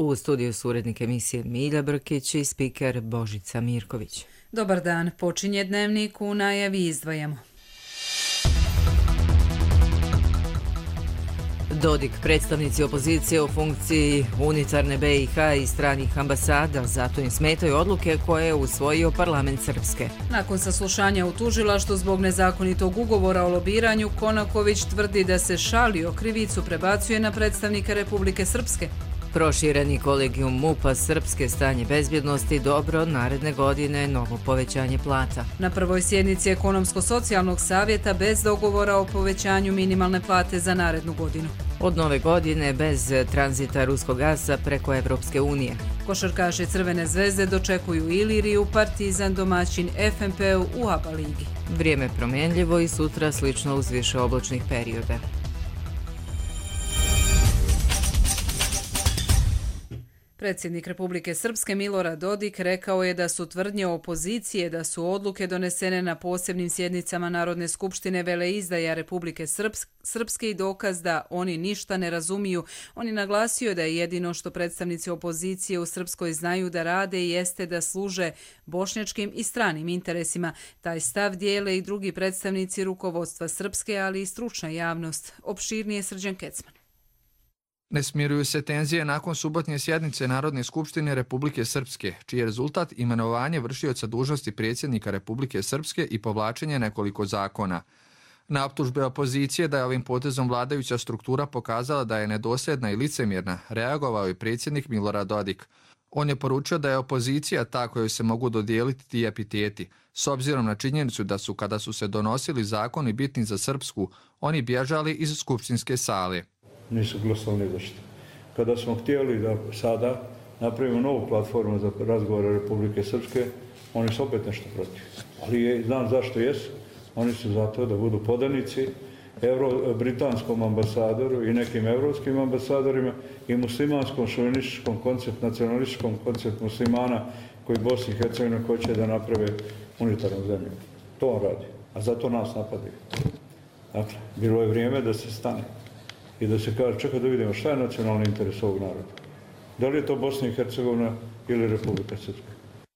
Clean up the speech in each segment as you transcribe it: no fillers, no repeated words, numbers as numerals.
U studiju su urednik emisije Milja Brkić i spiker Božica Mirković. Dobar dan, počinje dnevnik, u najavi izdvajamo. Dodik, predstavnici opozicije u funkciji unitarne BiH i stranih ambasada, zato im smetaju odluke koje je usvojio parlament Srpske. Nakon saslušanja u tužilaštvu zbog nezakonitog ugovora o lobiranju, Konaković tvrdi da se šalio, krivicu prebacuje na predstavnika Republike Srpske. Prošireni kolegijum MUP-a Srpske, stanje bezbjednosti dobro, naredne godine novo povećanje plata. Na prvoj sjednici Ekonomsko-socijalnog savjeta bez dogovora o povećanju minimalne plate za narednu godinu. Od nove godine bez tranzita ruskog gasa preko Evropske unije. Košarkaši Crvene zvezde dočekuju Iliriju, Partizan domaćin FNP-u u ABA ligi. Vrijeme promjenljivo i sutra slično uz više oblačnih perioda. Predsjednik Republike Srpske Milorad Dodik rekao je da su tvrdnje opozicije da su odluke donesene na posebnim sjednicama Narodne skupštine veleizdaja Republike Srpske i dokaz da oni ništa ne razumiju. On je naglasio da je jedino što predstavnici opozicije u Srpskoj znaju da rade jeste da služe bošnjačkim i stranim interesima. Taj stav dijele i drugi predstavnici rukovodstva Srpske, ali i stručna javnost. Opširnije Srđan Kecman. Ne smiruju se tenzije nakon subotnje sjednice Narodne skupštine Republike Srpske, čiji je rezultat imenovanje vršioca dužnosti predsjednika Republike Srpske i povlačenje nekoliko zakona. Na optužbe opozicije da je ovim potezom vladajuća struktura pokazala da je nedosljedna i licemjerna, reagovao je predsjednik Milorad Dodik. On je poručio da je opozicija ta kojoj se mogu dodijeliti ti epiteti, s obzirom na činjenicu da su, kada su se donosili zakoni bitni za Srpsku, oni bježali iz skupštinske sale. Nisu glasali ni za što. Kada smo htjeli da sada napravimo novu platformu za razgovore Republike Srpske, oni su opet nešto protiv. Ali znam zašto jesu. Oni su zato da budu podanici britanskom ambasadoru i nekim evropskim ambasadorima i muslimanskom šovinističkom koncept, nacionalističkom koncept muslimana koji Bosni i Hercegovina hoće da naprave unitarnu zemlju. To on radi. A zato nas napadaju. Dakle, bilo je vrijeme da se stane i da se kaže, čekaj da vidimo šta je nacionalni interes ovog naroda. Da li je to Bosna i Hercegovina ili Republika Srpska?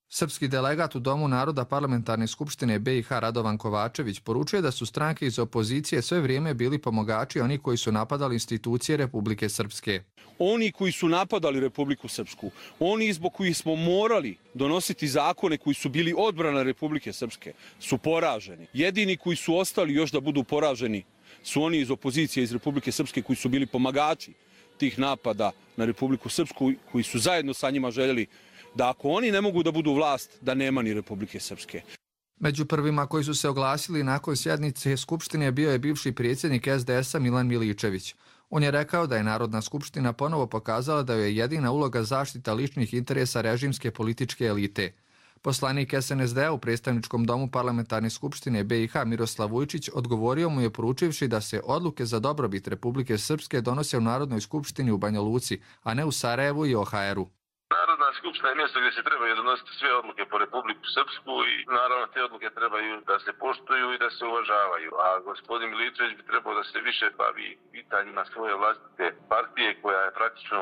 Srpski delegat u Domu naroda Parlamentarne skupštine BiH Radovan Kovačević poručuje da su stranke iz opozicije sve vrijeme bili pomogači oni koji su napadali institucije Republike Srpske. Oni koji su napadali Republiku Srpsku, oni zbog kojih smo morali donositi zakone koji su bili odbrana Republike Srpske, su poraženi. Jedini koji su ostali još da budu poraženi su oni iz opozicije iz Republike Srpske koji su bili pomagači tih napada na Republiku Srpsku, koji su zajedno sa njima željeli da ako oni ne mogu da budu vlast, da nema ni Republike Srpske. Među prvima koji su se oglasili nakon sjednice Skupštine bio je bivši predsjednik SDS-a Milan Miličević. On je rekao da je Narodna skupština ponovo pokazala da je jedina uloga zaštita ličnih interesa režimske političke elite. Poslanik SNSD-a u predstavničkom domu Parlamentarne skupštine BiH Miroslav Vujčić odgovorio mu je poručivši da se odluke za dobrobit Republike Srpske donose u Narodnoj skupštini u Banja Luci, a ne u Sarajevu i OHR-u. Narodna skupština je mjesto gdje se trebaju donositi sve odluke po Republiku Srpsku i naravno te odluke trebaju da se poštuju i da se uvažavaju. A gospodin Miličević bi trebao da se više bavi pitanjima svoje vlastite partije koja je praktično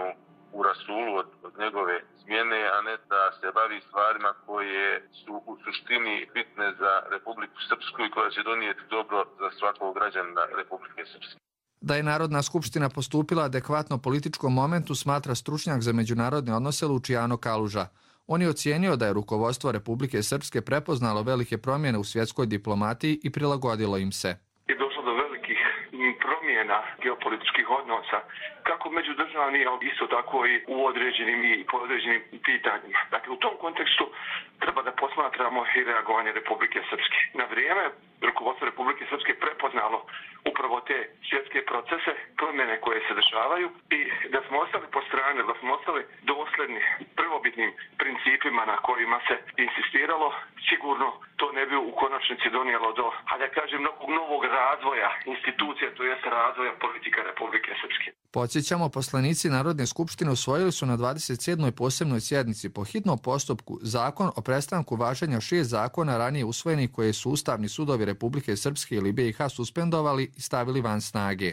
u rasulu od njegove smjene, a ne da se bavi stvarima koje su u suštini bitne za Republiku Srpsku i koja će donijeti dobro za svakog građanina Republike Srpske. Da je Narodna skupština postupila adekvatno političkom momentu smatra stručnjak za međunarodne odnose Luciano Kaluža. On je ocijenio da je rukovodstvo Republike Srpske prepoznalo velike promjene u svjetskoj diplomatiji i prilagodilo im se. Je došlo do velikih promjena geopolitičkih odnosa, kako međudržavni, ali isto tako i u određenim i po određenim pitanjima. Dakle, u tom kontekstu treba da posmatramo i reagovanje Republike Srpske. Na vrijeme rukovodstvo Republike Srpske prepoznalo upravo te svjetske procese, promjene koje se dešavaju i da smo ostali po strani, da smo ostali dosljedni prvobitnim principima na kojima se insistiralo, sigurno to ne bi u konačnici donijelo do, a da kažem, novog razvoja institucija, to jest razvoja politika Republike Srpske. Podsjećamo, poslanici Narodne skupštine usvojili su na 27. posebnoj sjednici po hitnom postupku zakon o prestanku važenja 6 zakona ranije usvojenih koje su ustavni sudovi Republike Srpske ili BiH suspendovali i stavili van snage.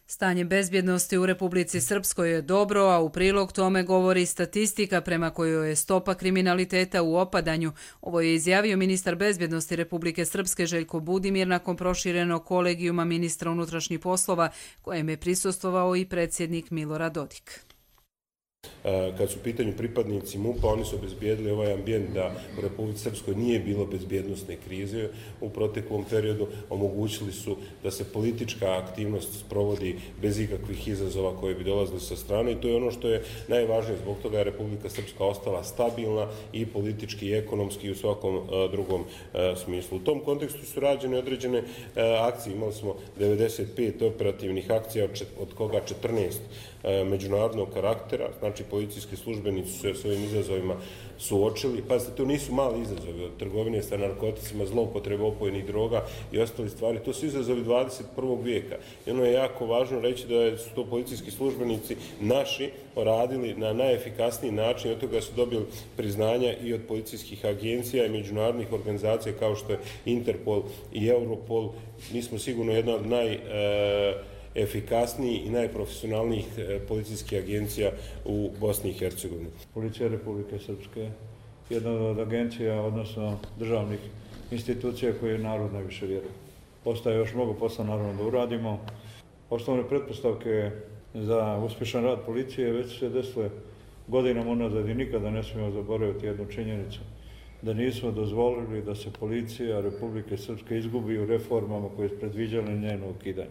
Stanje bezbjednosti u Republici Srpskoj je dobro, a u prilog tome govori statistika prema kojoj je stopa kriminaliteta u opadanju. Ovo je izjavio ministar bezbjednosti Republike Srpske Željko Budimir nakon proširenog kolegijuma ministra unutrašnjih poslova, kojem je prisustvovao i predsjednik Milorad Dodik. Kad su u pitanju pripadnici MUP-a, oni su obezbijedili ovaj ambijent da u Republici Srpskoj nije bilo bezbjednosne krize u proteklom periodu, omogućili su da se politička aktivnost sprovodi bez ikakvih izazova koje bi dolazili sa strane i to je ono što je najvažnije. Zbog toga je Republika Srpska ostala stabilna i politički i ekonomski i u svakom drugom smislu. U tom kontekstu su rađene određene akcije. Imali smo 95 operativnih akcija, od koga 14 međunarodnog karaktera, znači policijski službenici su se s ovim izazovima suočili. Pazite, to nisu mali izazovi, od trgovine sa narkoticima, zloupotrebe opojnih droga i ostali stvari. To su izazovi 21. vijeka. I ono je jako važno reći da su to policijski službenici naši radili na najefikasniji način, od toga su dobili priznanja i od policijskih agencija i međunarodnih organizacija kao što je Interpol i Europol. Mi smo sigurno jedna od najefikasnijih i najprofesionalnijih policijskih agencija u Bosni i Hercegovini. Policija Republike Srpske, jedna od agencija, odnosno državnih institucija koje narod najviše vjeruje. Ostaje još mnogo posla naravno da uradimo. Osnovne pretpostavke za uspješan rad policije već se desile godinama unazad i nikada ne smijemo zaboraviti jednu činjenicu, da nismo dozvolili da se policija Republike Srpske izgubi u reformama koje su predviđale njeno ukidanje.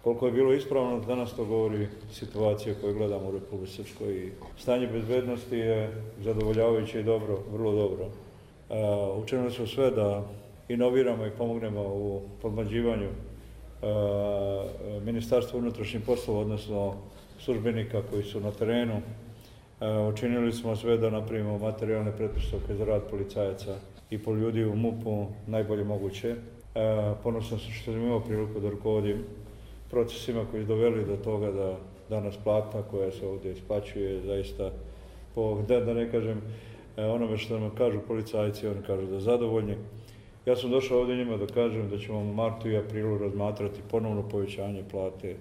Koliko je bilo ispravno, danas to govori situacija koju gledamo u Republici Srpskoj. Stanje bezbednosti je zadovoljavajuće i dobro, vrlo dobro. Učinili smo sve da inoviramo i pomognemo u podmlađivanju Ministarstva unutrašnjih poslova, odnosno službenika koji su na terenu. Učinili smo sve da napravimo materijalne pretpostavke za rad policajaca i ljudi u MUP-u najbolje moguće. Ponosan sam što sam imao priliku da rukovodim procesima koji su doveli do toga da danas plata koja se ovdje isplaćuje zaista, da ne kažem onome što nam kažu policajci, oni kažu da zadovoljni. Ja sam došao ovdje njima da kažem da ćemo u martu i aprilu razmatrati ponovno povećanje plate.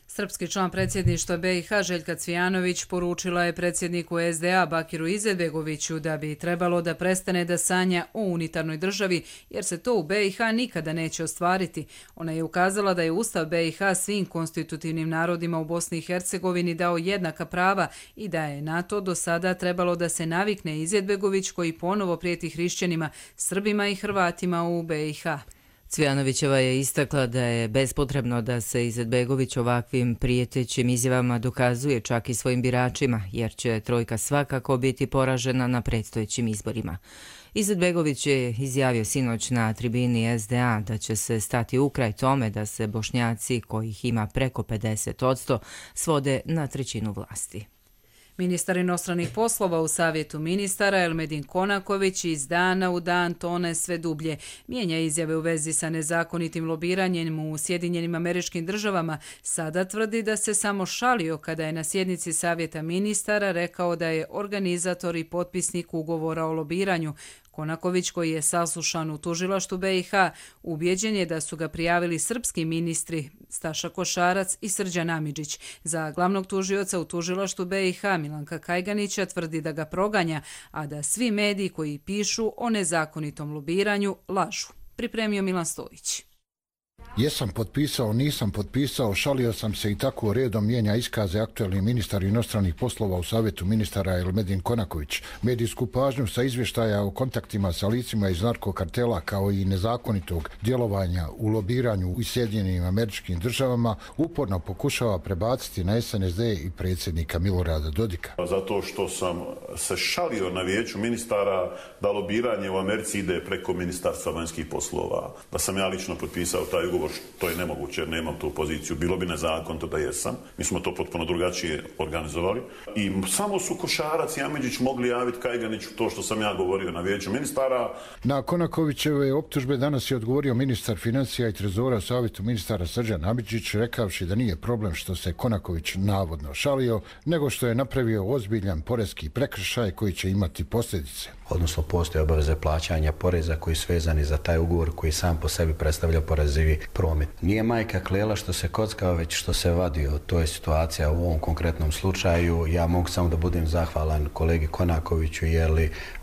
Srpski član predsjedništva BiH Željka Cvijanović poručila je predsjedniku SDA Bakiru Izetbegoviću da bi trebalo da prestane da sanja o unitarnoj državi, jer se to u BiH nikada neće ostvariti. Ona je ukazala da je Ustav BiH svim konstitutivnim narodima u Bosni i Hercegovini dao jednaka prava i da je na to do sada trebalo da se navikne Izetbegović koji ponovo prijeti hrišćanima, Srbima i Hrvatima u BiH. Cvijanovićeva je istakla da je bespotrebno da se Izetbegović ovakvim prijetećim izjavama dokazuje čak i svojim biračima, jer će trojka svakako biti poražena na predstojećim izborima. Izetbegović je izjavio sinoć na tribini SDA da će se stati u kraj tome da se Bošnjaci, kojih ima preko 50%, svode na trećinu vlasti. Ministar inostranih poslova u Savjetu ministara Elmedin Konaković iz dana u dan tone sve dublje. Mijenja izjave u vezi sa nezakonitim lobiranjem u Sjedinjenim Američkim Državama. Sada tvrdi da se samo šalio kada je na sjednici Savjeta ministara rekao da je organizator i potpisnik ugovora o lobiranju. Konaković, koji je saslušan u tužilaštvu BiH, ubjeđen je da su ga prijavili srpski ministri Staša Košarac i Srđan Amidžić. Za glavnog tužioca u tužilaštvu BiH Milanka Kajganića tvrdi da ga proganja, a da svi mediji koji pišu o nezakonitom lobiranju lažu. Pripremio Milan Stojić. Jesam potpisao, nisam potpisao, šalio sam se i tako redom mijenja iskaze aktualni ministar inostranih poslova u Savjetu ministara Elmedin Konaković. Medijsku pažnju sa izvještaja o kontaktima sa licima iz narkokartela kao i nezakonitog djelovanja u lobiranju u Sjedinjenim Američkim Državama uporno pokušava prebaciti na SNSD i predsjednika Milorada Dodika. Zato što sam se šalio na vijeću ministara da lobiranje u Americi ide preko Ministarstva vanjskih poslova. Da sam ja lično potpisao taj ugovor, to je nemoguće jer nemam tu poziciju. Bilo bi nezakonito da jesam. Mi smo to potpuno drugačije organizovali. I samo su Košarac i Amidžić mogli javiti Kajganiću to što sam ja govorio na vijeću ministara. Na Konakovićeve optužbe danas je odgovorio ministar financija i trezora u Savjetu ministara Srđan Amidžić, rekavši da nije problem što se Konaković navodno šalio, nego što je napravio ozbiljan poreski prekršaj koji će imati posljedice. Odnosno postoje obaveze plaćanja poreza koji su vezani za taj ugovor koji sam po sebi predstavlja porezivi promet. Nije majka klela što se kockao, već što se vadio. To je situacija u ovom konkretnom slučaju. Ja mogu samo da budem zahvalan kolegi Konakoviću jer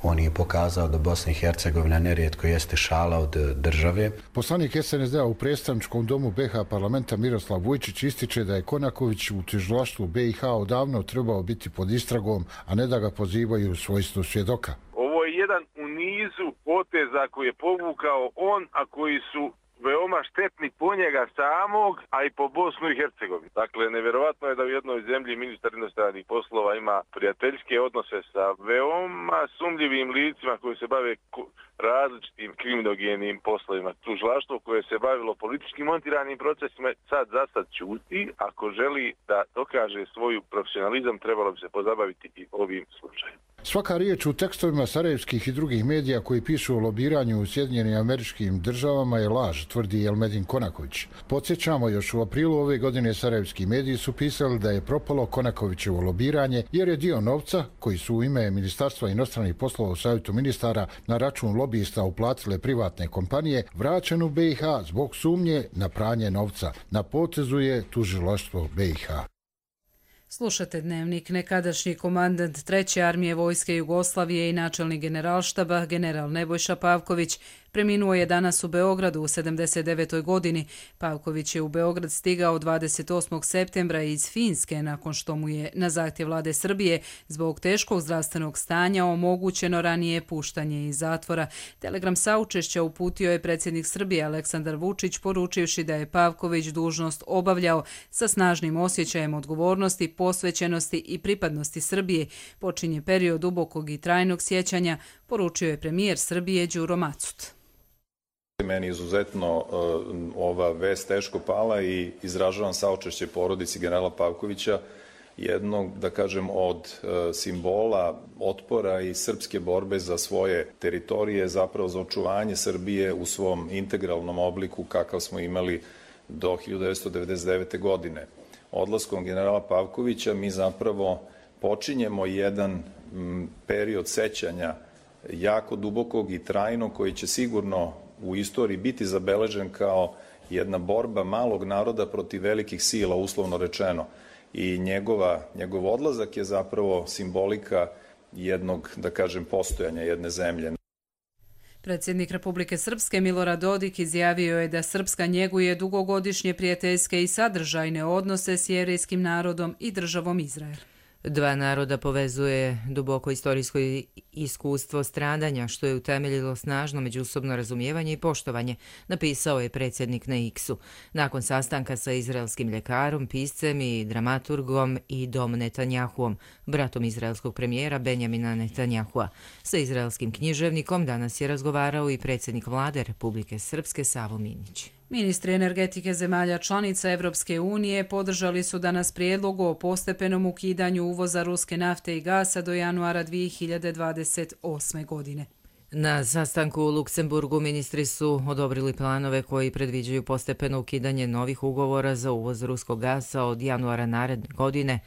on je pokazao da Bosna i Hercegovina nerijetko jeste šala od države. Poslanik SNSD-a u predstavničkom domu BiH parlamenta Miroslav Vujčić ističe da je Konaković u tužilaštvu BiH odavno trebao biti pod istragom, a ne da ga pozivaju u svojstvu svjedoka. Ovo je jedan u nizu poteza koji je povukao on, a koji su veoma štetni po njega samog, a i po Bosnu i Hercegovini. Dakle, nevjerovatno je da u jednoj zemlji ministar inostranih poslova ima prijateljske odnose sa veoma sumnjivim licima koji se bave različitim kriminogenim poslovima. Tužilaštvo koje se bavilo političkim montiranim procesima sad ćuti. Ako želi da dokaže svoju profesionalizam, trebalo bi se pozabaviti i ovim slučajem. Svaka riječ u tekstovima sarajevskih i drugih medija koji pišu o lobiranju u Sjedinjenim Američkim Državama je laž, tvrdi Elmedin Konaković. Podsjećamo, još u aprilu ove godine sarajevski mediji su pisali da je propalo Konakovićevo lobiranje jer je dio novca koji su u ime Ministarstva inostranih poslova u Savjetu ministara na račun lobista uplatile privatne kompanije vraćen u BiH zbog sumnje na pranje novca. Na potezu je tužilaštvo BiH. Slušate Dnevnik. Nekadašnji komandant 3. armije vojske Jugoslavije i načelnik generalštaba, general Nebojša Pavković, preminuo je danas u Beogradu u 79. godini. Pavković je u Beograd stigao 28. septembra iz Finske nakon što mu je na zahtjev vlade Srbije zbog teškog zdravstvenog stanja omogućeno ranije puštanje iz zatvora. Telegram saučešća uputio je predsjednik Srbije Aleksandar Vučić poručivši da je Pavković dužnost obavljao sa snažnim osjećajem odgovornosti, posvećenosti i pripadnosti Srbije. Počinje period dubokog i trajnog sjećanja, poručio je premijer Srbije Đuro Macut. Meni izuzetno ova vest teško pala i izražavam saučešće porodici generala Pavkovića, jednog, da kažem, od simbola otpora i srpske borbe za svoje teritorije, zapravo za očuvanje Srbije u svom integralnom obliku kakav smo imali do 1999. godine. Odlaskom generala Pavkovića mi zapravo počinjemo jedan period sećanja jako dubokog i trajnog koji će sigurno u istoriji biti zabeležen kao jedna borba malog naroda protiv velikih sila, uslovno rečeno. I njegov odlazak je zapravo simbolika jednog, da kažem, postojanja jedne zemlje. Predsjednik Republike Srpske Milorad Dodik izjavio je da Srpska njeguje dugogodišnje prijateljske i sadržajne odnose s jevrejskim narodom i državom Izrael. Dva naroda povezuje duboko istorijsko iskustvo stradanja, što je utemeljilo snažno međusobno razumijevanje i poštovanje, napisao je predsjednik na X-u. Nakon sastanka sa izraelskim ljekarom, piscem i dramaturgom i Dom Netanjahuom, bratom izraelskog premijera Benjamina Netanjahua. Sa izraelskim književnikom danas je razgovarao i predsjednik vlade Republike Srpske Savo Minić. Ministri energetike zemalja članica Evropske unije podržali su danas prijedlog o postepenom ukidanju uvoza ruske nafte i gasa do januara 2028. godine. Na sastanku u Luksemburgu ministri su odobrili planove koji predviđaju postepeno ukidanje novih ugovora za uvoz ruskog gasa od januara naredne godine,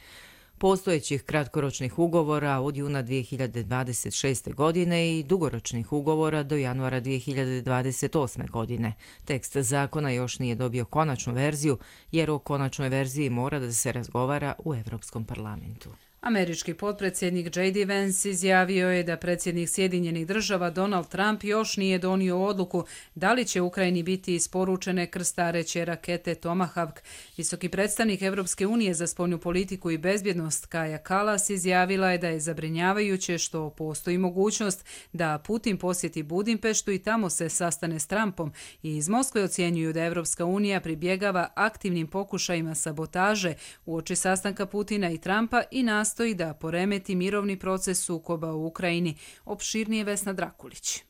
postojećih kratkoročnih ugovora od juna 2026. godine i dugoročnih ugovora do januara 2028. godine. Tekst zakona još nije dobio konačnu verziju, jer o konačnoj verziji mora da se razgovara u Evropskom parlamentu. Američki potpredsjednik J.D. Vance izjavio je da predsjednik Sjedinjenih Država Donald Trump još nije donio odluku da li će Ukrajini biti isporučene krstareće rakete Tomahawk. Visoki predstavnik Evropske unije za spoljnu politiku i bezbjednost Kaja Kallas izjavila je da je zabrinjavajuće što postoji mogućnost da Putin posjeti Budimpeštu i tamo se sastane s Trumpom i iz Moskve ocjenjuju da Evropska unija pribjegava aktivnim pokušajima sabotaže uoči sastanka Putina i Trumpa i nastoji da poremeti mirovni proces sukoba u Ukrajini. Opširnije Vesna Drakulić.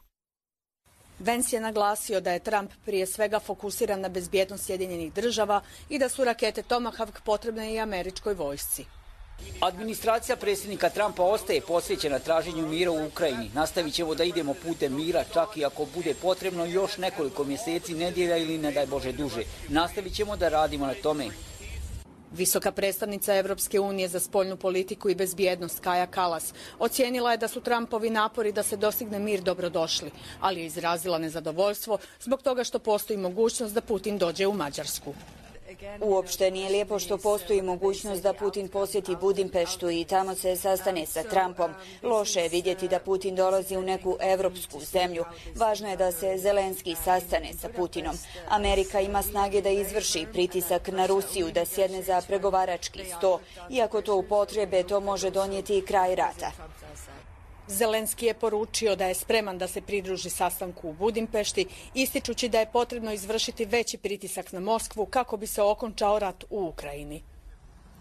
Vance je naglasio da je Trump prije svega fokusiran na bezbjednost Sjedinjenih Država i da su rakete Tomahawk potrebne i američkoj vojsci. Administracija predsjednika Trumpa ostaje posvećena traženju mira u Ukrajini. Nastavit ćemo da idemo putem mira, čak i ako bude potrebno još nekoliko mjeseci, nedjelja ili ne daj Bože duže. Nastavit ćemo da radimo na tome. Visoka predstavnica Evropske unije za spoljnu politiku i bezbjednost Kaja Kallas ocijenila je da su Trumpovi napori da se dostigne mir dobrodošli, ali je izrazila nezadovoljstvo zbog toga što postoji mogućnost da Putin dođe u Mađarsku. Uopšte nije lijepo što postoji mogućnost da Putin posjeti Budimpeštu i tamo se sastane sa Trumpom. Loše je vidjeti da Putin dolazi u neku evropsku zemlju. Važno je da se Zelenski sastane sa Putinom. Amerika ima snage da izvrši pritisak na Rusiju da sjedne za pregovarački sto. Iako to upotrebe, to može donijeti i kraj rata. Zelenski je poručio da je spreman da se pridruži sastanku u Budimpešti, ističući da je potrebno izvršiti veći pritisak na Moskvu kako bi se okončao rat u Ukrajini.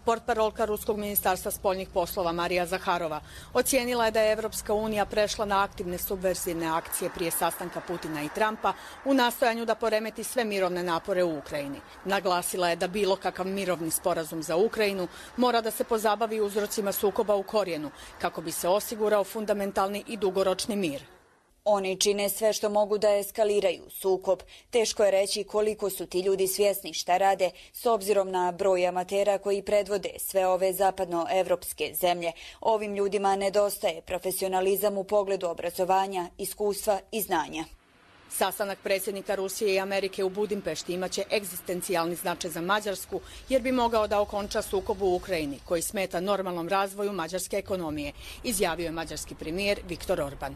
Portparolka Ruskog ministarstva spoljnih poslova Marija Zaharova ocijenila je da je Evropska unija prešla na aktivne subverzivne akcije prije sastanka Putina i Trumpa u nastojanju da poremeti sve mirovne napore u Ukrajini. Naglasila je da bilo kakav mirovni sporazum za Ukrajinu mora da se pozabavi uzrocima sukoba u korijenu kako bi se osigurao fundamentalni i dugoročni mir. Oni čine sve što mogu da eskaliraju sukob. Teško je reći koliko su ti ljudi svjesni šta rade s obzirom na broj amatera koji predvode sve ove zapadnoevropske zemlje. Ovim ljudima nedostaje profesionalizam u pogledu obrazovanja, iskustva i znanja. Sastanak predsjednika Rusije i Amerike u Budimpešti imaće egzistencijalni značaj za Mađarsku jer bi mogao da okonča sukob u Ukrajini koji smeta normalnom razvoju mađarske ekonomije, izjavio je mađarski premijer Viktor Orban.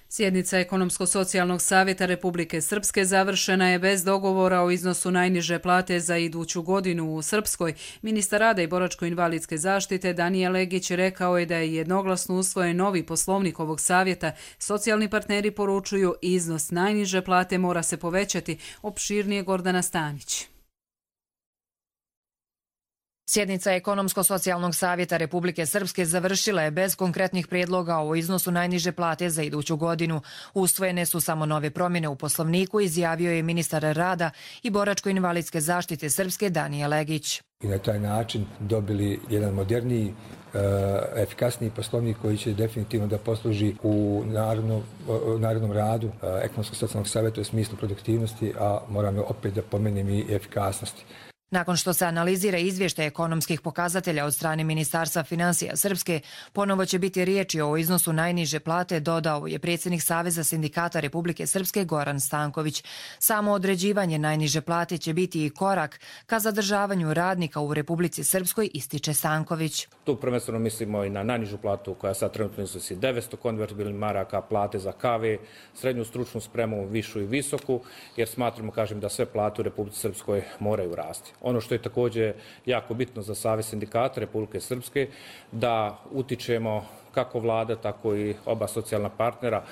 Sjednica Ekonomsko-socijalnog savjeta Republike Srpske završena je bez dogovora o iznosu najniže plate za iduću godinu u Srpskoj. Ministar rada i boračko-invalidske zaštite Danijel Legić rekao je da je jednoglasno usvojen novi poslovnik ovog savjeta. Socijalni partneri poručuju iznos najniže plate mora se povećati, opširnije Gordana Stanić. Sjednica Ekonomsko-socijalnog savjeta Republike Srpske završila je bez konkretnih prijedloga o iznosu najniže plate za iduću godinu. Usvojene su samo nove promjene u poslovniku, izjavio je ministar rada i boračko-invalidske zaštite Srpske Danijel Legić. I na taj način dobili jedan moderniji, efikasniji poslovnik koji će definitivno da posluži u narednom radu Ekonomsko-socijalnog savjeta u smislu produktivnosti, a moram opet da pomenem i efikasnosti. Nakon što se analizira izvještaj ekonomskih pokazatelja od strane Ministarstva financija Srpske, ponovo će biti riječi o iznosu najniže plate, dodao je predsjednik Saveza sindikata Republike Srpske Goran Stanković. Samo određivanje najniže plate će biti i korak ka zadržavanju radnika u Republici Srpskoj, ističe Stanković. Tu prvenstveno mislimo i na najnižu platu koja sad trenutno iznosi 900 konvertibilnih maraka, plate za kave, srednju stručnu spremu, višu i visoku, jer smatramo, da sve plate u Republici Srpskoj moraju rasti. Ono što je također jako bitno za Savez sindikata Republike Srpske, da utičemo kako vlada, tako i oba socijalna partnera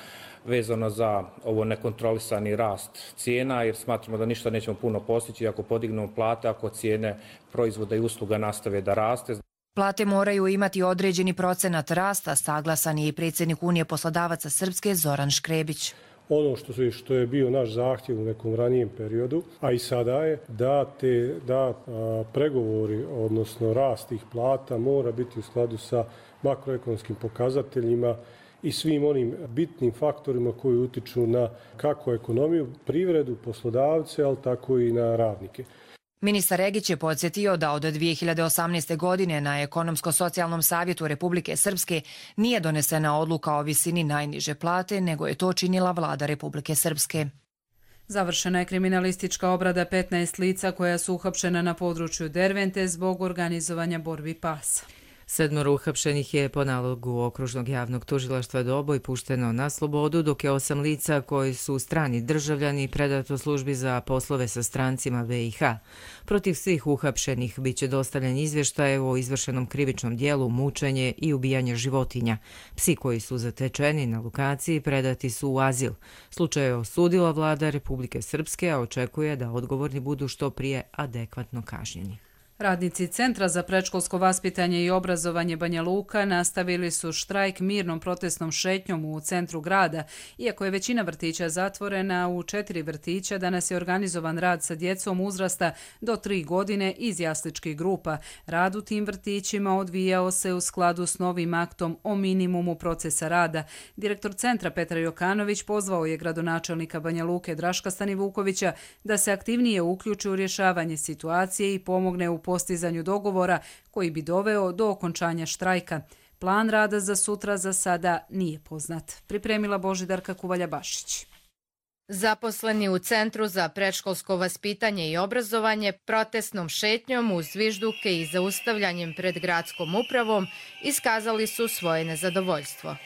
vezano za ovo nekontrolisani rast cijena, jer smatramo da ništa nećemo puno postići ako podignemo plate, ako cijene proizvoda i usluga nastave da raste. Plate moraju imati određeni procenat rasta, saglasan je i predsjednik Unije poslodavaca Srpske Zoran Škrebić. Ono što je bio naš zahtjev u nekom ranijem periodu, a i sada je da pregovori, odnosno rast tih plata mora biti u skladu sa makroekonomskim pokazateljima i svim onim bitnim faktorima koji utiču na kako ekonomiju, privredu, poslodavce, ali tako i na radnike. Ministar Regić je podsjetio da od 2018. godine na Ekonomsko-socijalnom savjetu Republike Srpske nije donesena odluka o visini najniže plate, nego je to činila vlada Republike Srpske. Završena je kriminalistička obrada 15 lica koja su uhapšena na području Dervente zbog organizovanja borbi pasa. 7 uhapšenih je po nalogu Okružnog javnog tužilaštva Doboj pušteno na slobodu, dok je 8 lica koji su strani državljani predato službi za poslove sa strancima BiH. Protiv svih uhapšenih biće dostavljen izvještaj o izvršenom krivičnom dijelu, mučenje i ubijanje životinja. Psi koji su zatečeni na lokaciji predati su u azil. Slučaj je osudila vlada Republike Srpske, a očekuje da odgovorni budu što prije adekvatno kažnjeni. Radnici Centra za predškolsko vaspitanje i obrazovanje Banja Luka nastavili su štrajk mirnom protestnom šetnjom u centru grada. Iako je većina vrtića zatvorena, u 4 vrtića danas je organizovan rad sa djecom uzrasta do 3 godine iz jasličkih grupa. Rad u tim vrtićima odvijao se u skladu s novim aktom o minimumu procesa rada. Direktor Centra Petar Jokanović pozvao je gradonačelnika Banja Luke Draška Stanivukovića da se aktivnije uključi u rješavanje situacije i pomogne u postizanju dogovora koji bi doveo do okončanja štrajka. Plan rada za sutra za sada nije poznat. Pripremila Božidarka Kuvalja-Bašić. Zaposleni u Centru za predškolsko vaspitanje i obrazovanje protestnom šetnjom uz zvižduke i zaustavljanjem pred gradskom upravom iskazali su svoje nezadovoljstvo.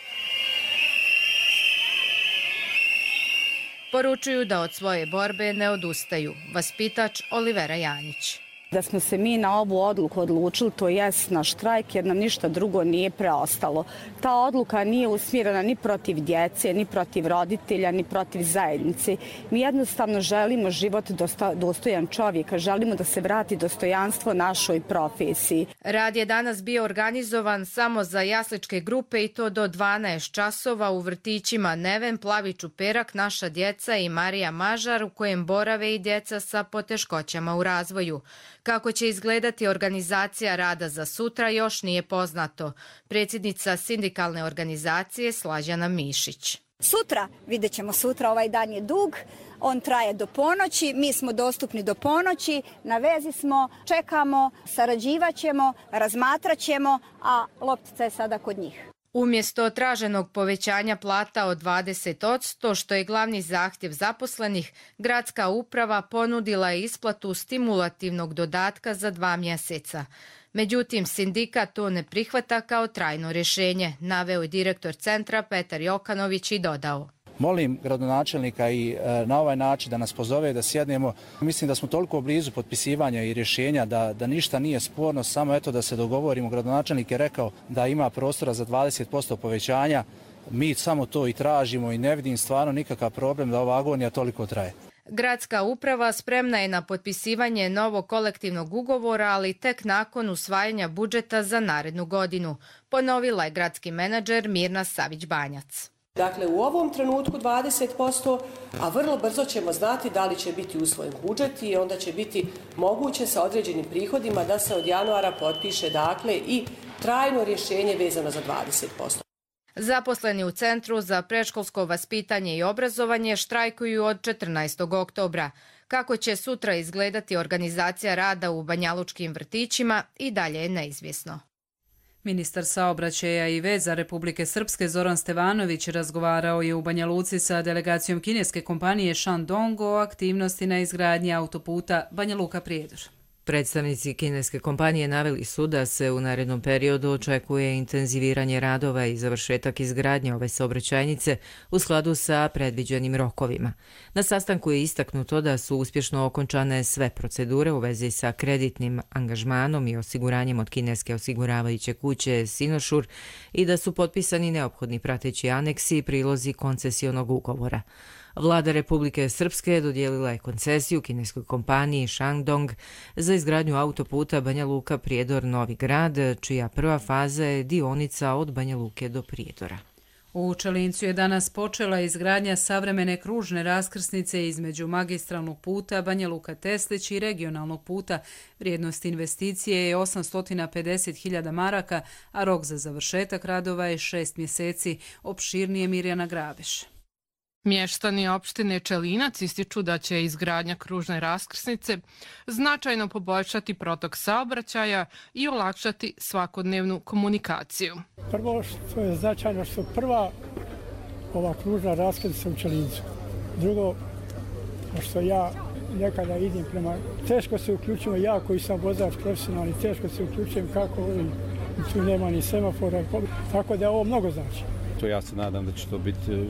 Poručuju da od svoje borbe ne odustaju. Vaspitač Olivera Janjić. Da smo se mi na ovu odluku odlučili, to jest na štrajk, jer nam ništa drugo nije preostalo. Ta odluka nije usmjerena ni protiv djece, ni protiv roditelja, ni protiv zajednice. Mi jednostavno želimo život dostojan čovjeka, želimo da se vrati dostojanstvo našoj profesiji. Rad je danas bio organizovan samo za jasličke grupe i to do 12 časova u vrtićima Neven, Plavi Čuperak, Naša djeca i Marija Mažar, u kojem borave i djeca sa poteškoćama u razvoju. Kako će izgledati organizacija rada za sutra još nije poznato. Predsjednica sindikalne organizacije Slađana Mišić. Sutra, vidjet ćemo sutra, ovaj dan je dug, on traje do ponoći, mi smo dostupni do ponoći, na vezi smo, čekamo, sarađivat ćemo, razmatrat ćemo, a loptica je sada kod njih. Umjesto traženog povećanja plata od 20%, što je glavni zahtjev zaposlenih, gradska uprava ponudila je isplatu stimulativnog dodatka za 2 mjeseca. Međutim, sindikat to ne prihvata kao trajno rješenje, naveo je direktor centra Petar Jokanović i dodao. Molim gradonačelnika i na ovaj način da nas pozove da sjednemo. Mislim da smo toliko blizu potpisivanja i rješenja da ništa nije sporno, samo eto da se dogovorimo. Gradonačelnik je rekao da ima prostora za 20% povećanja. Mi samo to i tražimo i ne vidim stvarno nikakav problem da ova agonija toliko traje. Gradska uprava spremna je na potpisivanje novog kolektivnog ugovora, ali tek nakon usvajanja budžeta za narednu godinu, ponovila je gradski menadžer Mirna Savić-Banjac. Dakle, u ovom trenutku 20%, a vrlo brzo ćemo znati da li će biti usvojen budžet i onda će biti moguće sa određenim prihodima da se od januara potpiše dakle i trajno rješenje vezano za 20%. Zaposleni u Centru za predškolsko vaspitanje i obrazovanje štrajkuju od 14. oktobra. Kako će sutra izgledati organizacija rada u banjalučkim vrtićima i dalje je neizvjesno. Ministar saobraćaja i veza Republike Srpske Zoran Stevanović razgovarao je u Banja Luci sa delegacijom kineske kompanije Shandong o aktivnosti na izgradnji autoputa Banja Luka-Prijedor. Predstavnici kineske kompanije naveli su da se u narednom periodu očekuje intenziviranje radova i završetak izgradnje ove saobraćajnice u skladu sa predviđenim rokovima. Na sastanku je istaknuto da su uspješno okončane sve procedure u vezi sa kreditnim angažmanom i osiguranjem od kineske osiguravajuće kuće Sinošur i da su potpisani neophodni prateći aneksi i prilozi koncesionog ugovora. Vlada Republike Srpske dodijelila je koncesiju kineskoj kompaniji Shandong za izgradnju autoputa Banja Luka-Prijedor Novi Grad, čija prva faza je dionica od Banja Luke do Prijedora. U Čelincu je danas počela izgradnja savremene kružne raskrsnice između magistralnog puta Banja Luka-Teslić i regionalnog puta. Vrijednost investicije je 850.000 maraka, a rok za završetak radova je 6 mjeseci. Opširnije Mirjana Grabeš. Mještani opštine Čelinac ističu da će izgradnja kružne raskrsnice značajno poboljšati protok saobraćaja i olakšati svakodnevnu komunikaciju. Prvo što je značajno što prva ova kružna raskrsnica u Čelincu. Drugo, što ja nekada idem prema... Teško se uključujem, ja koji sam vozač profesionalni, teško se uključujem kako ovim, tu nema ni semafora, tako da ovo mnogo znači. Ja se nadam da će to biti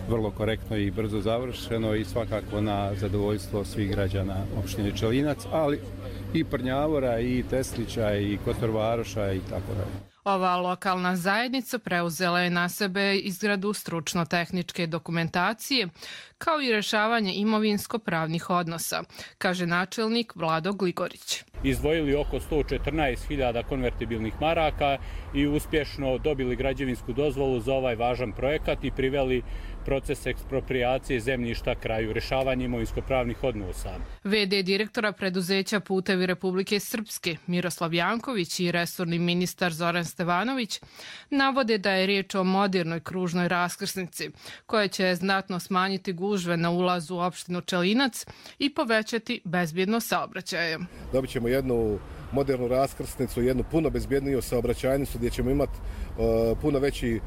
vrlo korektno i brzo završeno i svakako na zadovoljstvo svih građana opštine Čelinac, ali i Prnjavora, i Teslića, i Kotorvaroša i tako dalje. Ova lokalna zajednica preuzela je na sebe izradu stručno-tehničke dokumentacije, kao i rješavanje imovinsko-pravnih odnosa, kaže načelnik Vlado Gligorić. izdvojili oko 114.000 konvertibilnih maraka i uspješno dobili građevinsku dozvolu za ovaj važan projekat i priveli proces eksproprijacije zemljišta kraju, rješavanje imovinsko-pravnih odnosa. VD direktora preduzeća Putevi Republike Srpske Miroslav Janković i resorni ministar Zoran Stevanović navode da je riječ o modernoj kružnoj raskrsnici koja će znatno smanjiti gužve na ulazu u opštinu Čelinac i povećati bezbjednost saobraćaja. Dobit ćemo jednu modernu raskrsnicu, jednu puno bezbjedniju saobraćajnicu gdje ćemo imati puno veći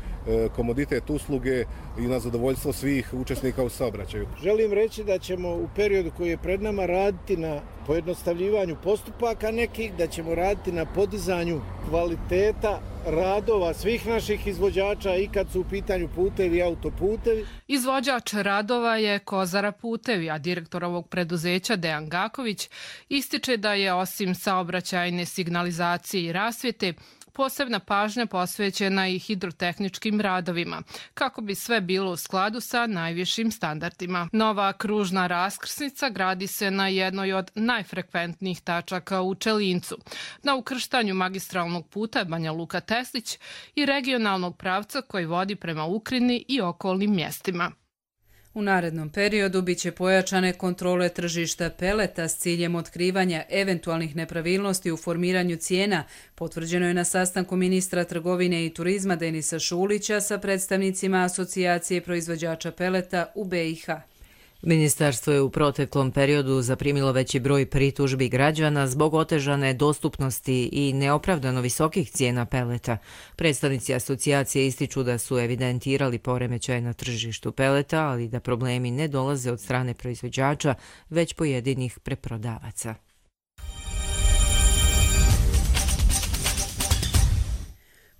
komoditet usluge i na zadovoljstvo svih učesnika u saobraćaju. Želim reći da ćemo u periodu koji je pred nama raditi na pojednostavljivanju postupaka nekih, da ćemo raditi na podizanju kvaliteta radova svih naših izvođača i kad su u pitanju putevi i autoputevi. Izvođač radova je Kozara Putevi, a direktor ovog preduzeća Dejan Gaković ističe da je osim saobraćajne signalizacije i rasvjete posebna pažnja posvećena i hidrotehničkim radovima, kako bi sve bilo u skladu sa najvišim standardima. Nova kružna raskrsnica gradi se na jednoj od najfrekventnijih tačaka u Čelincu, na ukrštanju magistralnog puta Banja Luka-Teslić i regionalnog pravca koji vodi prema Ukrini i okolnim mjestima. U narednom periodu biće pojačane kontrole tržišta peleta s ciljem otkrivanja eventualnih nepravilnosti u formiranju cijena, potvrđeno je na sastanku ministra trgovine i turizma Denisa Šulića sa predstavnicima Asocijacije proizvođača peleta u BiH. Ministarstvo je u proteklom periodu zaprimilo veći broj pritužbi građana zbog otežane dostupnosti i neopravdano visokih cijena peleta. Predstavnici asocijacije ističu da su evidentirali poremećaj na tržištu peleta, ali da problemi ne dolaze od strane proizvođača, već pojedinih preprodavaca.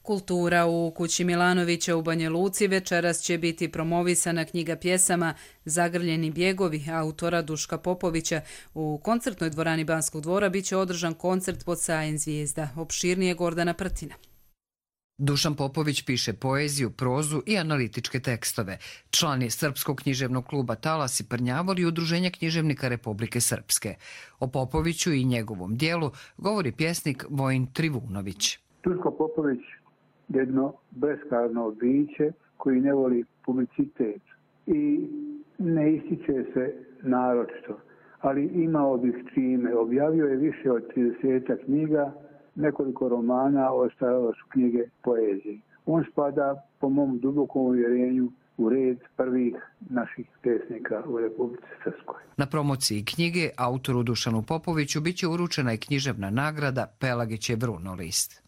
Kultura u kući Milanovića u Banja Luci večeras će biti promovisana knjiga pjesama Zagrljeni bjegovi autora Duška Popovića. U koncertnoj dvorani Banskog dvora biće održan koncert pod sajem zvijezda. Opširnije Gordana Prtina. Dušan Popović piše poeziju, prozu i analitičke tekstove. Član je Srpskog književnog kluba Talas i Prnjavor i Udruženja književnika Republike Srpske. O Popoviću i njegovom dijelu govori pjesnik Vojin Trivunović. Duško Popović jedno beskarno biće koji ne voli publicitet i ne ističe se naročito, ali imao bih čime. Objavio je više od 30 knjiga, nekoliko romana, ostalo su knjige poezije. On spada, po mom dubokom uvjerenju, u red prvih naših pesnika u Republici Srpskoj. Na promociji knjige autoru Dušanu Popoviću biće uručena i književna nagrada Pelagićev runolist.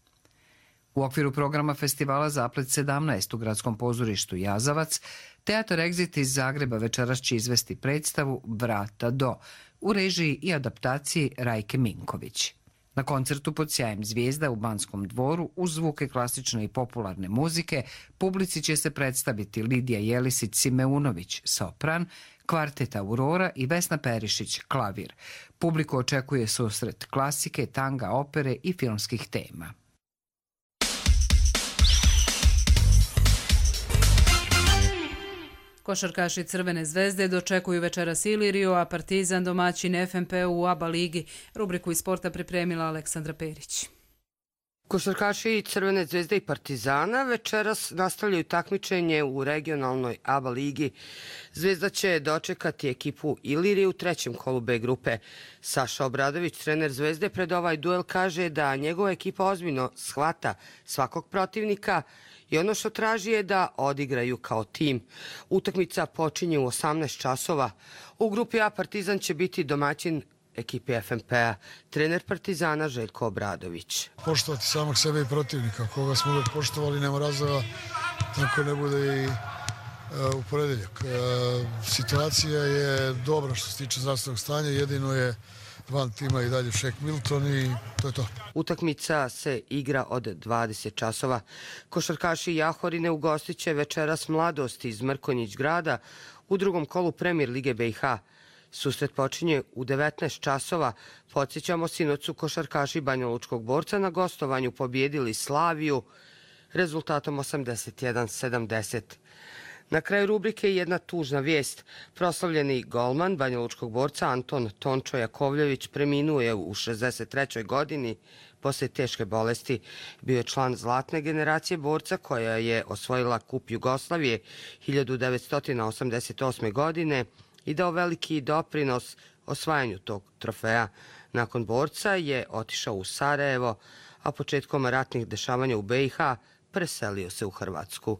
U okviru programa festivala Zaplet 17 u gradskom pozorištu Jazavac, Teatar Exit iz Zagreba večeras će izvesti predstavu Vrata do u režiji i adaptaciji Rajke Minković. Na koncertu pod sjajem zvijezda u Banskom dvoru uz zvuke klasične i popularne muzike publici će se predstaviti Lidija Jelisić-Simeunović, sopran, kvartet Aurora i Vesna Perišić, klavir. Publiku očekuje susret klasike, tanga, opere i filmskih tema. Košarkaši Crvene zvezde dočekuju večeras Iliriju, a Partizan domaćin FNP u ABA ligi. Rubriku iz sporta pripremila Aleksandra Perić. Košarkaši Crvene zvezde i Partizana večeras nastavljaju takmičenje u regionalnoj ABA ligi. Zvezda će dočekati ekipu Ilirije u trećem kolu B grupe. Saša Obradović, trener Zvezde, pred ovaj duel kaže da njegova ekipa ozbiljno shvata svakog protivnika i ono što traži je da odigraju kao tim. Utakmica počinje u 18 časova. U grupi A Partizan će biti domaćin ekipi FNP-a, trener Partizana Željko Obradović. Poštovati samog sebe i protivnika, koga smo uvijek poštovali, nema razloga tako ne bude i u ponedeljak. Situacija je dobra što se tiče zdravstvenog stanja, jedino je van tima i dalje Šek Milton i to je to. Utakmica se igra od 20 časova. Košarkaši Jahorine ugostit će večeras Mladost iz Mrkonjić grada u drugom kolu Premier Lige BiH. Susret počinje u 19 časova. Podsjećamo, sinoć su košarkaši Banjalučkog Borca na gostovanju pobjedili Slaviju rezultatom 81-70. Na kraju rubrike jedna tužna vijest. Proslavljeni golman banjalučkog borca Anton Tončo Jakovljević preminuo je u 63. godini poslije teške bolesti. Bio je član zlatne generacije borca koja je osvojila Kup Jugoslavije 1988. godine i dao veliki doprinos osvajanju tog trofeja. Nakon borca je otišao u Sarajevo, a početkom ratnih dešavanja u BiH preselio se u Hrvatsku.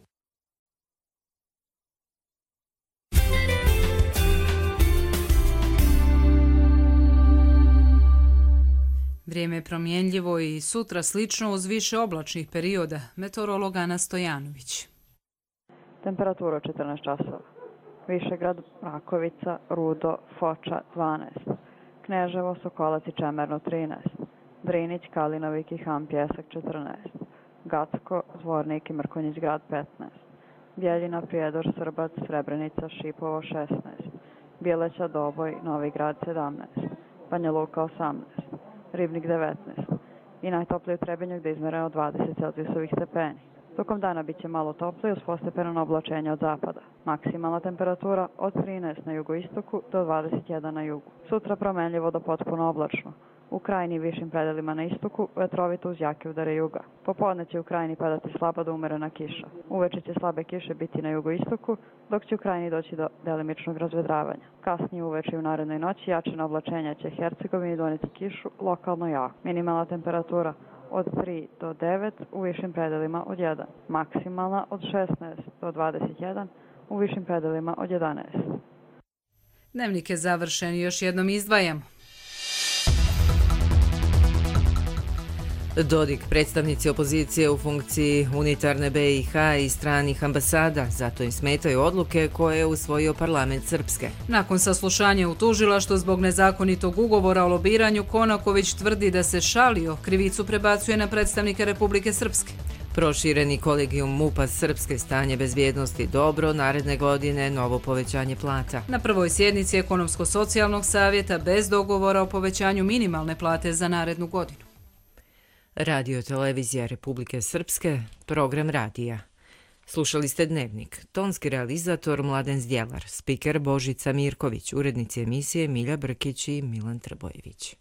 Vrijeme je promjenljivo i sutra slično uz više oblačnih perioda. Meteorolog Ana Stojanović. Temperatura 14 časova. Višegrad, Rakovica, Rudo, Foča 12. Kneževo, Sokolac i Čemerno 13. Drinić, Kalinovik i Han Pjesak 14. Gacko, Zvornik i Mrkonjić grad 15. Bjeljina, Prijedor, Srbac, Srebrenica, Šipovo 16. Bjeleća, Doboj, Novi grad 17. Banja Luka 18. Ribnik 19. I najtoplije u Trebinju gdje je izmereno 20 celzijusovih stepeni. Tokom dana bit će malo toplije uz postepeno oblačenje od zapada. Maksimalna temperatura od 13 na jugoistoku do 21 na jugu. Sutra promenljivo do potpuno oblačno. U krajini višim predelima na istoku vetrovito uz jake udare juga. Popodne će u krajini padati slaba do umerena kiša. Uveče će slabe kiše biti na jugoistoku, dok će u krajini doći do delimičnog razvedravanja. Kasnije uveče i u narednoj noći jačina oblačenja će Hercegovini doneti kišu, lokalno jako. Minimalna temperatura od 3 do 9, u višim predelima od 1. Maksimalna od 16 do 21, u višim predelima od 11. Dnevnik je završen i još jednom izdvajamo. Dodik, predstavnici opozicije u funkciji unitarne BiH i stranih ambasada, zato im smetaju odluke koje je usvojio parlament Srpske. Nakon saslušanja u tužilaštvu zbog nezakonitog ugovora o lobiranju, Konaković tvrdi da se šalio, krivicu prebacuje na predstavnike Republike Srpske. Prošireni kolegijum MUP-a Srpske, stanje bezbjednosti dobro, naredne godine novo povećanje plata. Na prvoj sjednici Ekonomsko-socijalnog savjeta bez dogovora o povećanju minimalne plate za narednu godinu. Radio Televizija Republike Srpske, program radija. Slušali ste Dnevnik, tonski realizator Mladen Zdjelar, spiker Božica Mirković, urednici emisije Milja Brkić i Milan Trbojević.